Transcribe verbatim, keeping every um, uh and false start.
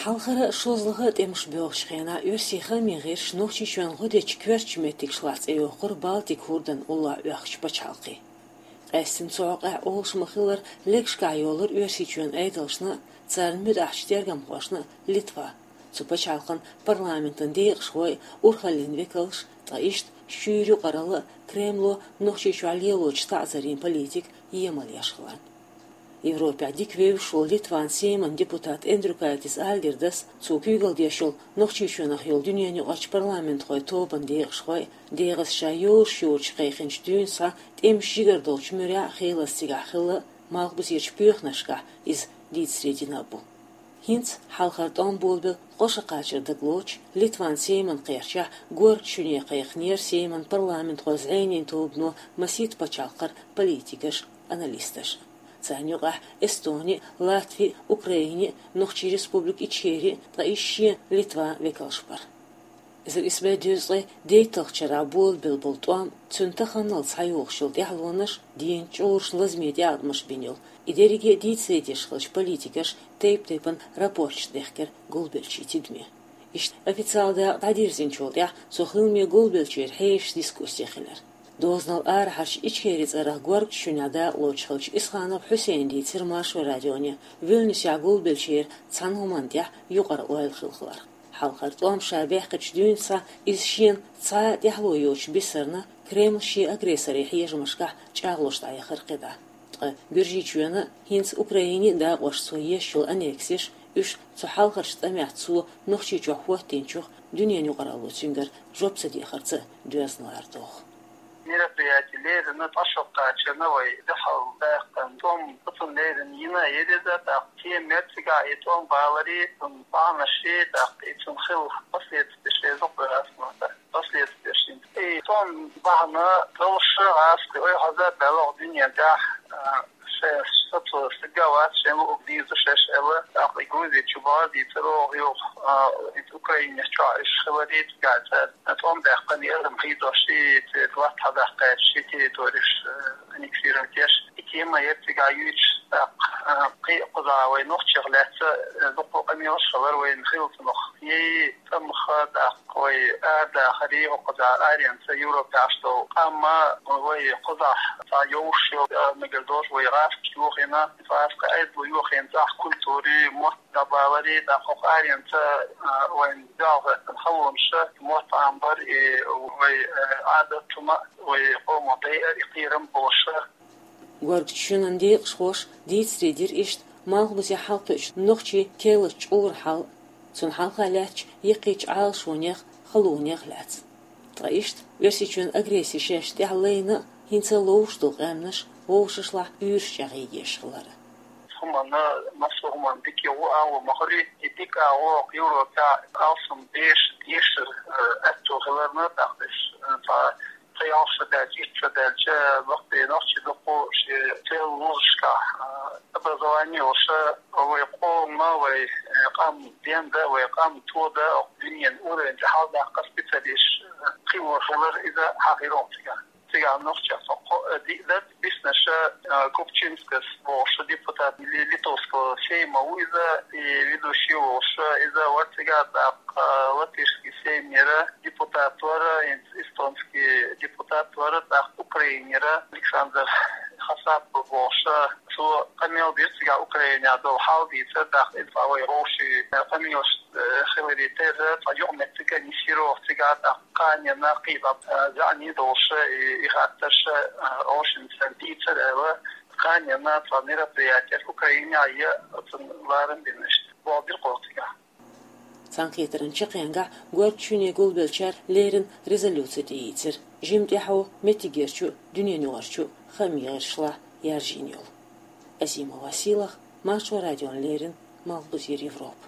Хьалхара шозлагӀа тӀемаш боьлхучу хенахь оьрсийн хаамийн гӀирсаша Нохчийчоьнан гӀо дечу коьртачу меттигаш лахь цӀе йоккхура Балтик хӀордан уллохь оьхучу пачхьалкхе. Къаьсттина цу хьокъехь олуш ма-хиллара, легашкахь йолура Оьрсийчоьнан Ӏедалшна а, царна муьтӀахьчу тергамхошна а Литва. Цу пачхьалкхан парламентан декъашхой, урхаллин векалш, ткъа иштта шуьйра юкъаралла а Кремло Нохчийчохь лелочу таӀзарийн политика емал еш хиларна. Европехь дика вевзаш волу Литван Сейман депутат Эндрюкайтис Альгердас, цо куьйгалла деш йолу Нохчийчоьнах йолу дуьненаюкъарчу парламентхойн тобанан декъашхой, дегӀаца ша йозуш йоцуш кхайкхинчу дуьйна схьа тӀемаш жигара долчу муьрехь а хелаза цигахь хилла а, малхбузерчу боьханашкахь иза дийцаре дина а бу. ХӀинца хьалхара тӀом болабелла кхо шо кхачар дагалоцуш, Литван Сейман кхерчахь горга шуьне кхайкхинера Сейман парламентхойн зӀенийн тобано масийтта пачхьалкхера политикаш а, аналисташ а. Царна юкъахь Эстони а, Латви а, Украини а, Нохчийн Республика Ичкери а, ткъа иза шен Литван векалш бара. Эзар исс бӀе дезткъе дейтталгӀачу шарахь болабелла болу тӀом, цуьнан таханалц схьайогӀуш йолу тӀаьхьалонаш, дийнан чкъурш лазаме тӀеӀаткъамаш бина йолу, и дерриге а дийцаре деш хиллачу политикаша тайп-тайпана рапорташ дехкира гулбеллачийн тидаме. Иштта официалан дакъа дӀадирзинчул тӀаьхьа цо хилме гулбеллачеран хьешан дискуссий хилира. Дозанал арахьарчу Ичкери цӀарах горгачу шуьнехь дакъалоцуш хиллачу Исханов Хьусейна дийцира Маршо радионе, Вильнюсехь гулбеллачеран цхьана хӀуманна тӀехь юкъара ойла хилла хиларх. Хьалхара тӀом ша баьккхичу дуьйна схьа иза шена цхьа а тӀаьхьало йоцуш бисарна, Кремль шен агрессорийн хьежамашкахь чӀагӀлуш дӀаяхара кхидӀа. Ткъа Гуьржийчоьнан а, хӀинца Украинин а дакъошца цо еш йолу аннексеш, уьш цу хьалхарчу тӀамехь цо Нохчийчохь хӀоттийначух дуьненан юкъаралло цуьнгара жоп ца дехарца доьзна лара доху. Мероприяти леррина, тӀе шо кхачарна вай дуьхьал даьккхина тӀом, оцунна леррина йина а яра иза, тӀаккха тема яра цигахь и тӀом баларе, цуьнан бахьанаш, тӀаккха и цуьнан хилла последствеш, и зуькъ вай ас ма дац, последствеш. И тӀом бахьана долуш ас кхин ойхьаза а даьлла дуьнен тӀехь, а, шайн сацо стага вац, шайн луъург дийза шаьш аьлла, тӀаккха и Грузи чу бахьа дийцар оха юха, а, и Украинехь чохь уьш хиларе, цигахь цара тӀом даьккхина, и адам хьийзош, и церан латта хьадаккха гӀерташ, и территореш, а, аннексировать еш. И тема яра цигахь юьйцуш, тӀаккха, а, кхин а кхузахь вай нохчех лаьцна, а, дуккха а къамелаш хилар вайна хилла цунах. Ей, цӀа ма-хиллара, тӀаккха вай арадахаре, хӀокхузахь аренца Европехь долу къам а, вай кхузахь цхьа йовш йолу, а, мегар долуш вай гӀазкхий йохийна, гӀазкхий айдало йохийна цӀахь культури, мотт дӀабаларе, тӀаккха хӀокху аренца, а, вайн дуьхьал хӀоьттина халонаш, мотт Ӏамбар, и вай, а, Ӏадат хӀума, вай къоман дайар, и кхерам болуш. Горгачу шуьнан декъашхоша дийцаре дира иштта малхбузе хьалакхуьучу нохчийн керлачу чкъуран хьал, цунна хьалха лаьттачу яккхийчу Ӏалашонех, халонех лаьцна. Ткъа иштта Оьрсийчоьнан агресси шаьш тӀехь лайна а, хӀинца а ловш долу къаьмнаш вовшашлахь уьйраш чӀагӀъеш хилар. ХӀуманна, массо а хӀуманна дика ю агӀо ма-хиллара, и дика агӀо Европехь алсам беш, дешар, э, аьтто хиларна, тӀаккха иза, э, цхьа Ца ялх шо даьлча, итт шо даьлча, бакъдерг нохчий дуккха шен цӀе лозушкахь, а, образование йолуш, вай къоман, вай, э, къам ден дан, вай къам тодан, дуьненан уровень тӀе хьаладаккха специалисташ, э, кхин вон хилар, иза хьан хир ву цигахь. Цигахь нохчех со кхо, э, диъ дан, биснарш, э, Купчинскас бохуш депутат Ли-, Литовского Сейма ву иза, и ведущий волуш, иза вара цигахь, тӀаккха, э, латышский Сейм яра, депутат вара, эстонский депутат вара, тӀаккха Украинера Александр Хасапов бохуш, цо къамел дира цигахь Украинехь долу хьал дийцар, тӀаккха иза вай вовшийн къамелаш, э, хиларе терра, цхьа юкъаметтиг а нисйира оха цигахь, тӀаккха кханенна кхидӀа, э, заьӀни долуш, и, и хаттарш, э, вовшийн цара дийцар аьлла, кханенна цхьа мероприятиеш Украинехь а, оцунна ларам бина иштта. Боху дира кхо цигахь. Цхьаьнакхетаран чаккхенгахь горгачу шуьне гулбеллачара леррина резолюци тӀеийцира, жимма тӀаьхьо меттигерчу а, дуьненаюкъарчу а хаамийн гӀирсашлахь яржийна йолу. Азимова Сийлаха, Маршо радиона леррина, Малхбузера Европа.